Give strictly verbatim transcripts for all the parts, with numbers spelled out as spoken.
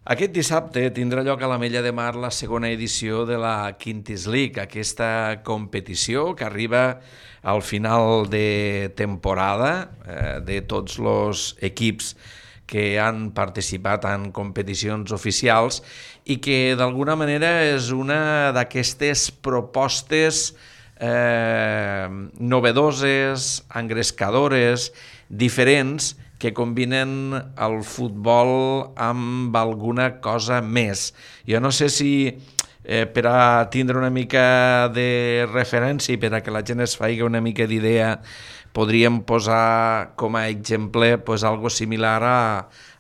Aquest dissabte tindrà lloc a l'Ametlla de Mar la segona edició de la Quintis League, aquesta competició que arriba al final de temporada eh, de tots els equips que han participat en competicions oficials i que d'alguna manera és una d'aquestes propostes eh, novedoses, engrescadores, diferents, que combinen el futbol amb alguna cosa més. Jo no sé si eh, per a tindre una mica de referència i per a que la gent es faci una mica d'idea podríem posar com a exemple pues, algo similar a,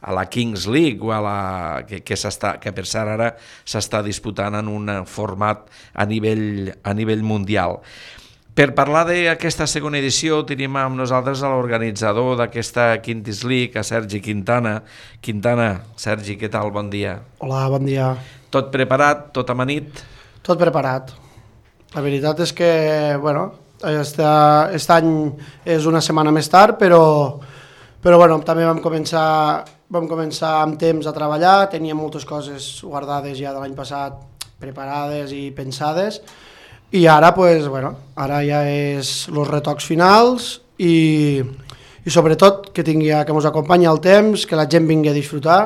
a la Kings League o a la, que, que, que per cert ara s'està disputant en un format a nivell, a nivell mundial. Per parlar d'aquesta segona edició tenim amb nosaltres a l'organitzador d'aquesta Quintis League, a Sergi Quintana. Quintana, Sergi, què tal? Bon dia. Hola, bon dia. Tot preparat? Tot amanit? Tot preparat. La veritat és que, bueno, este, este any és una setmana més tard, però, però bueno, també vam començar, vam començar amb temps a treballar, teníem moltes coses guardades ja de l'any passat, preparades i pensades, i ara, pues, bueno, ara ja és els retocs finals i, i sobretot que tingui, que ens acompanyi el temps, que la gent vingui a disfrutar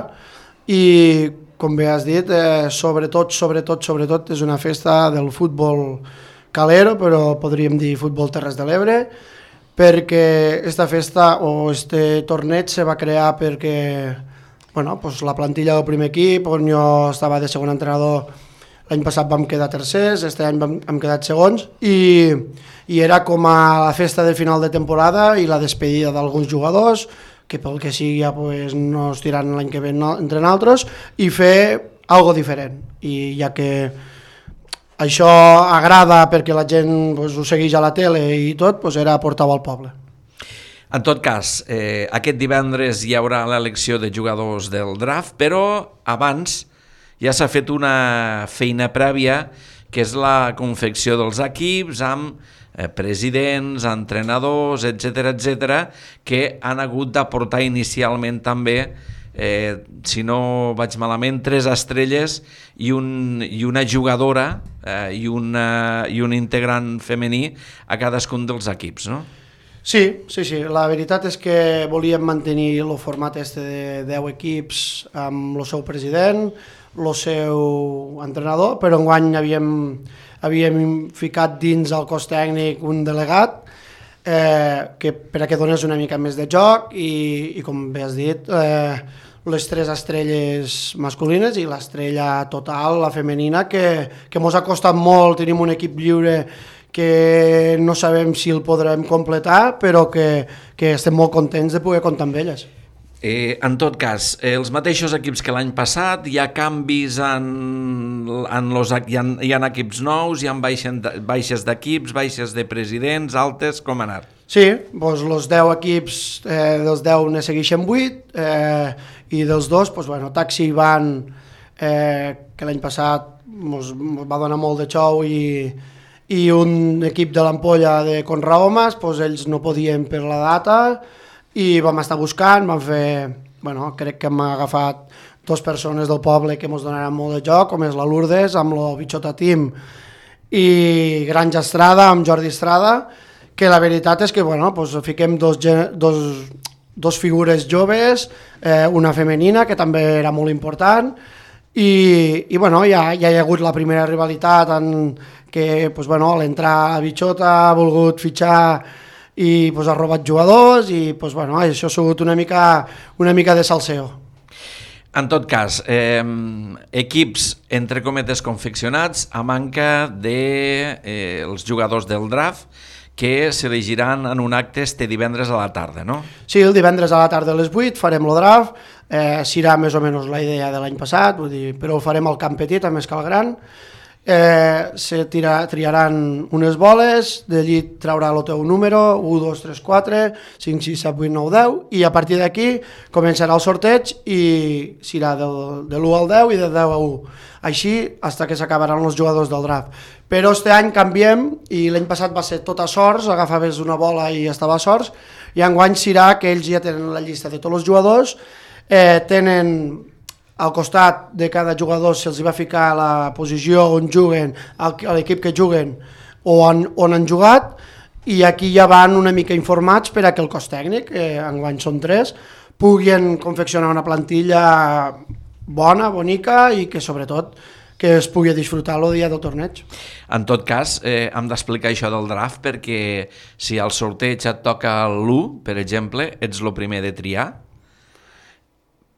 i, com bé has dit, eh, sobretot, sobretot, sobretot és una festa del futbol calero, però podríem dir futbol Terres de l'Ebre, perquè esta festa o este torneig se va crear perquè, bueno, pues la plantilla del primer equip, on jo estava de segon entrenador. L'any passat vam quedar tercers, este any vam, hem quedat segons i, i era com a la festa del final de temporada i la despedida d'alguns jugadors que pel que sigui ja pues, no es tiran l'any que ve entre nosaltres i fer algo diferent. I ja que això agrada perquè la gent pues, ho segueix a la tele i tot, pues, era portar-ho al poble. En tot cas, eh, aquest divendres hi haurà l'elecció de jugadors del draft, però abans ja s'ha fet una feina prèvia, que és la confecció dels equips amb eh, presidents, entrenadors, etcètera, etcètera, que han hagut d'aportar inicialment també, eh, si no vaig malament, tres estrelles i, un, i una jugadora eh, i, una, i un integrant femení a cadascun dels equips, no? Sí, sí, sí. La veritat és que volíem mantenir el format este de deu equips amb el seu president, el seu entrenador, però enguany havíem, havíem ficat dins el cos tècnic un delegat eh, que per a que donés una mica més de joc i, i com bé has dit, eh, les tres estrelles masculines i l'estrella total, la femenina, que, que mos ha costat molt, tenim un equip lliure que no sabem si el podrem completar, però que, que estem molt contents de poder comptar amb elles. Eh, en tot cas, eh, els mateixos equips que l'any passat, hi ha canvis en, en los, hi, ha, hi ha equips nous, hi ha baixes d'equips, baixes de presidents, altes, com ha anat? Sí, doncs els deu equips, eh, dels deu ne segueixen vuit, eh, i dels dos, doncs, bueno, Taxi i Van, eh, que l'any passat mos, mos va donar molt de xou, i, i un equip de l'Ampolla de Conrahomes, doncs ells no podien per la data, i vam estar buscant, vam fer, bueno, crec que hem agafat dues persones del poble que ens donaran molt de joc, com és la Lourdes, amb el Bichota Team, i Granja Estrada, amb Jordi Estrada, que la veritat és que, bueno, pues, fiquem dos, dos, dos figures joves, eh, una femenina, que també era molt important, i, i bueno, ja, ja hi ha hagut la primera rivalitat en que, pues, bueno, a l'entrar a Bichota ha volgut fitxar i pues, ha robat jugadors i pues, bueno, això ha sigut una mica, una mica de salseo. En tot cas, eh, equips entre cometes confeccionats a manca de eh, els jugadors del draft que s'elegiran en un acte este divendres a la tarda, no? Sí, el divendres a la tarda a les vuit farem el draft, eh, serà més o menys la idea de l'any passat, vull dir, però ho farem al camp petit, a més que al gran. Eh, se tira, triaran unes boles, d'allí traurà el teu número, u, dos, tres, quatre, cinc, sis, set, vuit, nou, deu, i a partir d'aquí començarà el sorteig i serà del, de l'u al deu i de deu a u, així fins que s'acabaran els jugadors del draft. Però este any canviem, i l'any passat va ser tot a sorts, agafaves una bola i estava a sorts, i enguany serà que ells ja tenen la llista de tots els jugadors, eh, tenen al costat de cada jugador se'ls va ficar la posició on juguen, a l'equip que juguen o on, on han jugat, i aquí ja van una mica informats per a que el cos tècnic, eh, enguany són tres, puguin confeccionar una plantilla bona, bonica i que sobretot que es pugui disfrutar el dia del torneig. En tot cas, eh, hem d'explicar això del draft perquè si al sorteig et toca l'u, per exemple, ets el primer de triar,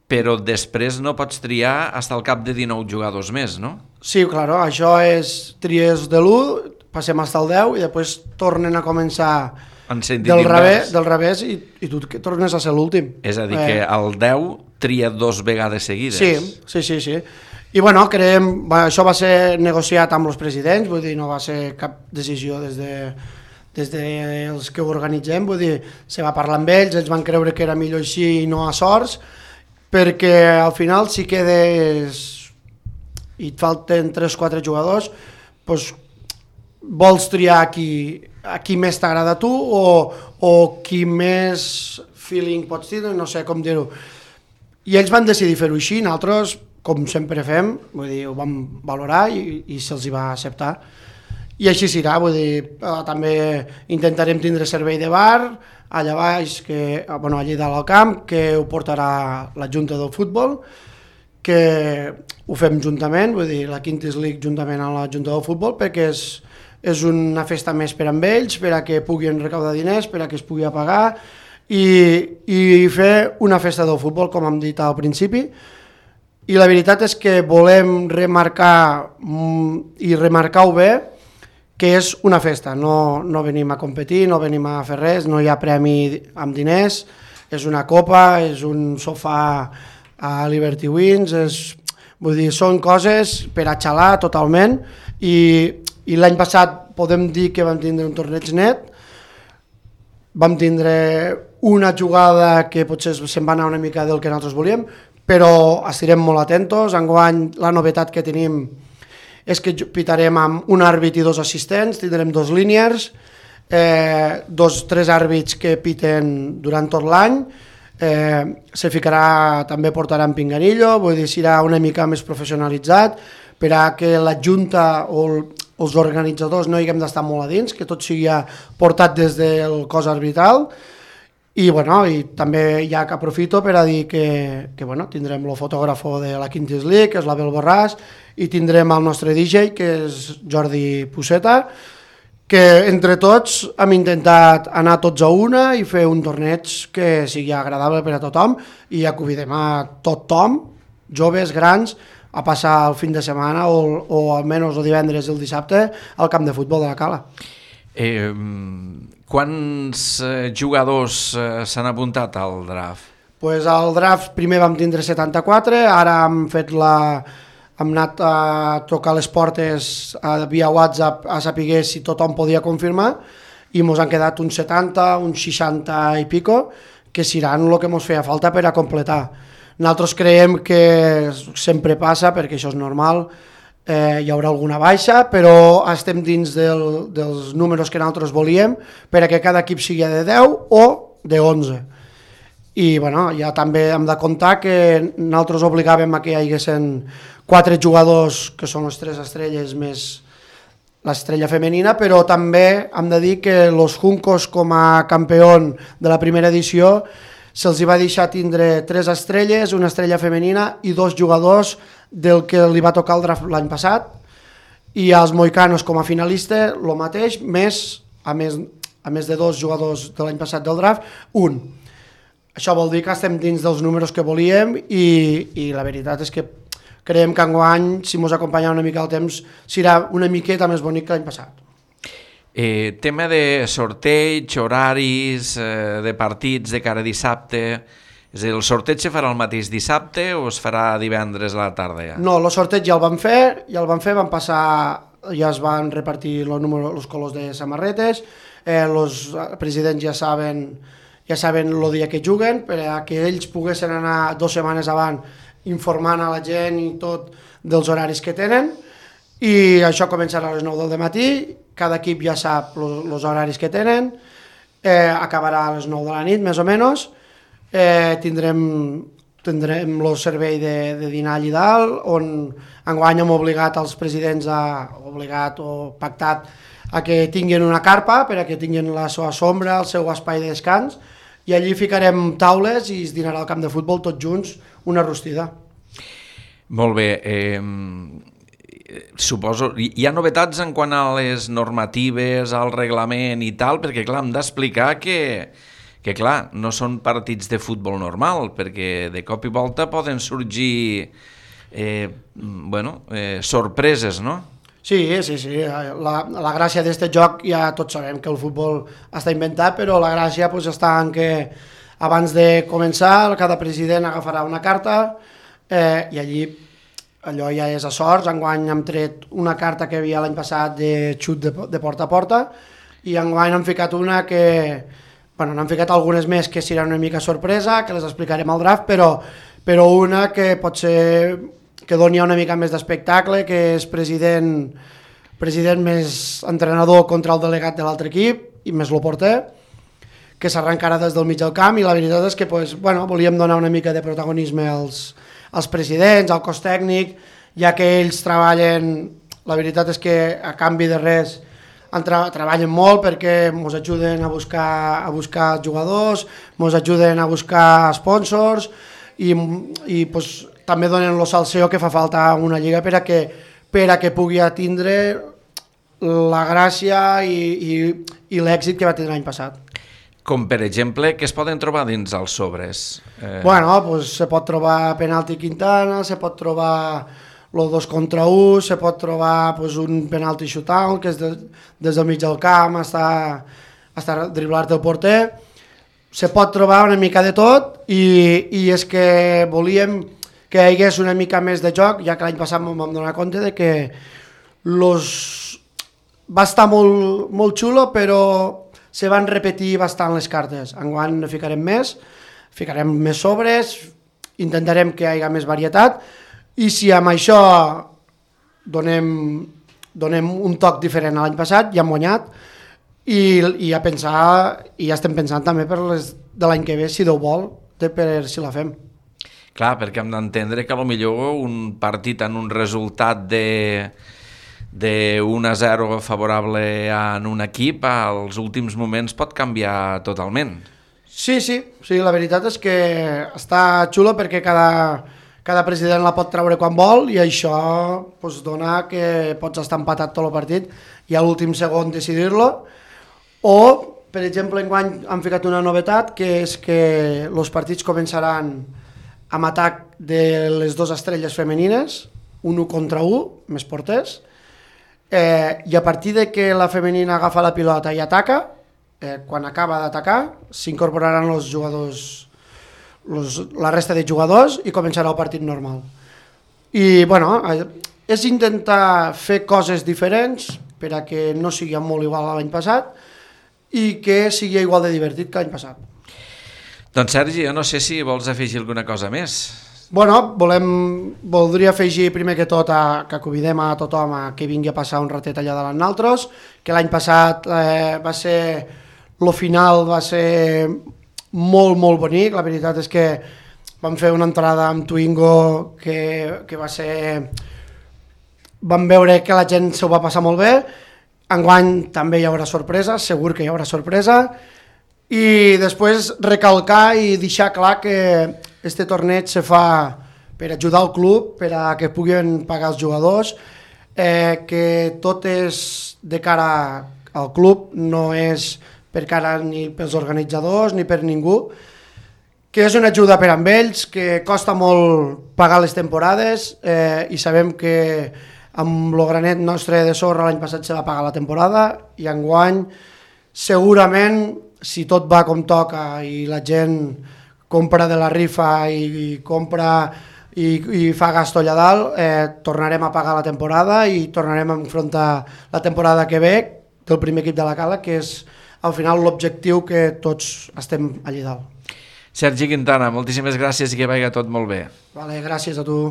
però després no pots triar fins al cap de dinou jugadors més, no? Sí, claro, això és tries de l'u, passem fins al deu i després tornen a començar del revés, del revés i, i tu tornes a ser l'últim. És a dir, eh. que el deu tria dos vegades seguides. Sí, sí, sí, sí. I bueno, creiem, això va ser negociat amb els presidents, vull dir, no va ser cap decisió des de des dels que ho organitzem, vull dir, se va parlar amb ells, ells van creure que era millor així i no a sorts, perquè al final si quedes i et falten tres o quatre jugadors, doncs vols triar qui, a qui més t'agrada a tu o, o qui més feeling pots dir, no sé com dir-ho. I ells van decidir fer-ho així, nosaltres, com sempre fem, vull dir, ho vam valorar i, i se'ls hi va acceptar. I així serà, vull dir, eh, també intentarem tindre servei de bar, allà baix, que, bueno, allà dalt al camp, que ho portarà la Junta del Futbol, que ho fem juntament, vull dir, la Quintes League juntament amb la Junta del Futbol, perquè és, és una festa més per amb ells, per a que puguin recaudar diners, per a que es pugui pagar, i, i fer una festa del futbol, com hem dit al principi. I la veritat és que volem remarcar i remarcar-ho bé, que és una festa, no, no venim a competir, no venim a fer res, no hi ha premi amb diners, és una copa, és un sofà a Liberty Wings, és, vull dir, són coses per a xalar totalment, i, i l'any passat podem dir que vam tindre un torneig net, vam tindre una jugada que potser se'n va anar una mica del que nosaltres volíem, però estarem molt atentos. Enguany la novetat que tenim és que pitarem amb un àrbit i dos assistents, tindrem dos líniers, eh, dos, tres àrbits que piten durant tot l'any, eh, se ficarà, també portaran pinganillo, vull dir, serà una mica més professionalitzat, per a que la Junta o el, els organitzadors no hi haguem d'estar molt a dins, que tot sigui portat des del cos arbitral. I, bueno, i també ja que aprofito per a dir que, que bueno, tindrem el fotògrafo de la Quintes League, que és l'Abel Borràs, i tindrem el nostre D J, que és Jordi Puceta, que entre tots hem intentat anar tots a una i fer un torneig que sigui agradable per a tothom, i ja convidem a tothom, joves, grans, a passar el fin de setmana o, o almenys el divendres i el dissabte al camp de futbol de la Cala. Eh, quants eh, jugadors eh, s'han apuntat al draft? Pues al draft primer vam tindre setanta-quatre, ara hem fet la... hem anat a tocar les portes a, via WhatsApp a saber si tothom podia confirmar i ens han quedat uns setanta, uns seixanta i pico, que seran el que ens feia falta per a completar. Nosaltres creiem que sempre passa, perquè això és normal, eh, hi haurà alguna baixa, però estem dins del, dels números que nosaltres volíem per a que cada equip sigui de deu o de onze. I bueno, ja també hem de comptar que nosaltres obligàvem a que hi haguessin quatre jugadors, que són les tres estrelles més l'estrella femenina, però també hem de dir que els Juncos, com a campió de la primera edició, se'ls va deixar tindre tres estrelles, una estrella femenina i dos jugadors del que li va tocar el draft l'any passat, i als Moicanos com a finalista el mateix, més a més, a més de dos jugadors de l'any passat del draft, un. Això vol dir que estem dins dels números que volíem i, i la veritat és que creiem que enguany, si ens acompanya una mica el temps, serà una miqueta més bonic que l'any passat. Eh, tema de sorteig, horaris, eh, de partits de cara a dissabte... És a dir, el sorteig se farà el mateix dissabte o es farà divendres a la tarda ja? No, el sorteig ja el vam fer, ja el vam fer, van passar, ja es van repartir els números, els colors de samarretes, eh, els presidents ja saben, ja saben el dia que juguen, per a que ells poguessin anar dues setmanes abans informant a la gent i tot dels horaris que tenen, i això començarà a les nou del matí, cada equip ja sap els horaris que tenen, eh, acabarà a les nou de la nit, més o menys, eh, tindrem tindrem el servei de, de dinar allà dalt, on enguany hem obligat els presidents, a, obligat o pactat, a que tinguin una carpa per a que tinguin la seva sombra, el seu espai de descans, i allí ficarem taules i es dinarà al camp de futbol tots junts una rostida. Molt bé. Eh, suposo, hi ha novetats en quant a les normatives, al reglament i tal, perquè clar, hem d'explicar que, que clar, no són partits de futbol normal, perquè de cop i volta poden sorgir eh, bueno, eh, sorpreses, no? Sí, sí, sí. La, la gràcia d'aquest joc, ja tots sabem que el futbol està inventat, però la gràcia pues, està en que abans de començar cada president agafarà una carta eh, i allí allò ja és a sorts. Enguany hem tret una carta que hi havia l'any passat de xut de, de porta a porta i enguany hem ficat una que... Bueno, n'hem ficat algunes més que seran una mica sorpresa, que les explicarem al draft, però, però una que pot ser... que doni una mica més d'espectacle, que és president, president més entrenador contra el delegat de l'altre equip i més el porter, que s'arrencarà des del mig del camp, i la veritat és que pues, bueno, volíem donar una mica de protagonisme als, als presidents, al cos tècnic, ja que ells treballen, la veritat és que a canvi de res tra treballen molt perquè ens ajuden a buscar, a buscar jugadors, ens ajuden a buscar sponsors i, i pues, també donen el salseo que fa falta a una lliga per a que, per a que pugui atindre la gràcia i, i, i l'èxit que va tenir l'any passat. Com per exemple, què es poden trobar dins els sobres? Eh... Bueno, pues, se pot trobar penalti Quintana, se pot trobar el dos contra un, se pot trobar pues, un penalti shootout, que és de, des del mig del camp, està, està driblar-te el porter. Se pot trobar una mica de tot i, i és que volíem que hi hagués una mica més de joc, ja que l'any passat em vam donar compte de que los... va estar molt, molt xulo, però se van repetir bastant les cartes. Enguany ne ficarem més, ficarem més sobres, intentarem que hi hagi més varietat, i si amb això donem, donem un toc diferent a l'any passat, ja hem guanyat, i, i, a pensar, i ja estem pensant també per les de l'any que ve, si Déu vol, de per si la fem. Clar, perquè hem d'entendre que potser un partit en un resultat de, de un a zero favorable en un equip, als últims moments pot canviar totalment. Sí, sí, sí, la veritat és que està xulo perquè cada, cada president la pot treure quan vol i això pues, dona que pots estar empatat tot el partit i a l'últim segon decidir-lo. O, per exemple, enguany han ficat una novetat, que és que els partits començaran amb atac de les dues estrelles femenines, un u contra un, més porters, eh, i a partir de que la femenina agafa la pilota i ataca, eh, quan acaba d'atacar, s'incorporaran els jugadors, los, la resta de jugadors i començarà el partit normal. I, bueno, és intentar fer coses diferents per a que no sigui molt igual a l'any passat i que sigui igual de divertit que l'any passat. Doncs Sergi, jo no sé si vols afegir alguna cosa més. Bueno, volem, voldria afegir primer que tot a, que convidem a tothom a que vingui a passar un ratet allà davant nosaltres, que l'any passat eh, va ser, el final va ser molt, molt bonic, la veritat és que vam fer una entrada amb Twingo que, que va ser... Vam veure que la gent s'ho va passar molt bé, enguany també hi haurà sorpresa, segur que hi haurà sorpresa, i després recalcar i deixar clar que este torneig se fa per ajudar el club, per a que puguin pagar els jugadors, eh, que tot és de cara al club, no és per cara ni pels organitzadors ni per ningú, que és una ajuda per amb ells, que costa molt pagar les temporades eh, i sabem que amb el granet nostre de sorra l'any passat se va pagar la temporada i enguany segurament, si tot va com toca i la gent compra de la rifa i, i compra i, i fa gasto allà dalt, eh, tornarem a pagar la temporada i tornarem a enfrontar la temporada que ve del primer equip de la Cala, que és al final l'objectiu que tots estem allà dalt. Sergi Quintana, moltíssimes gràcies i que vagi tot molt bé. Vale, gràcies a tu.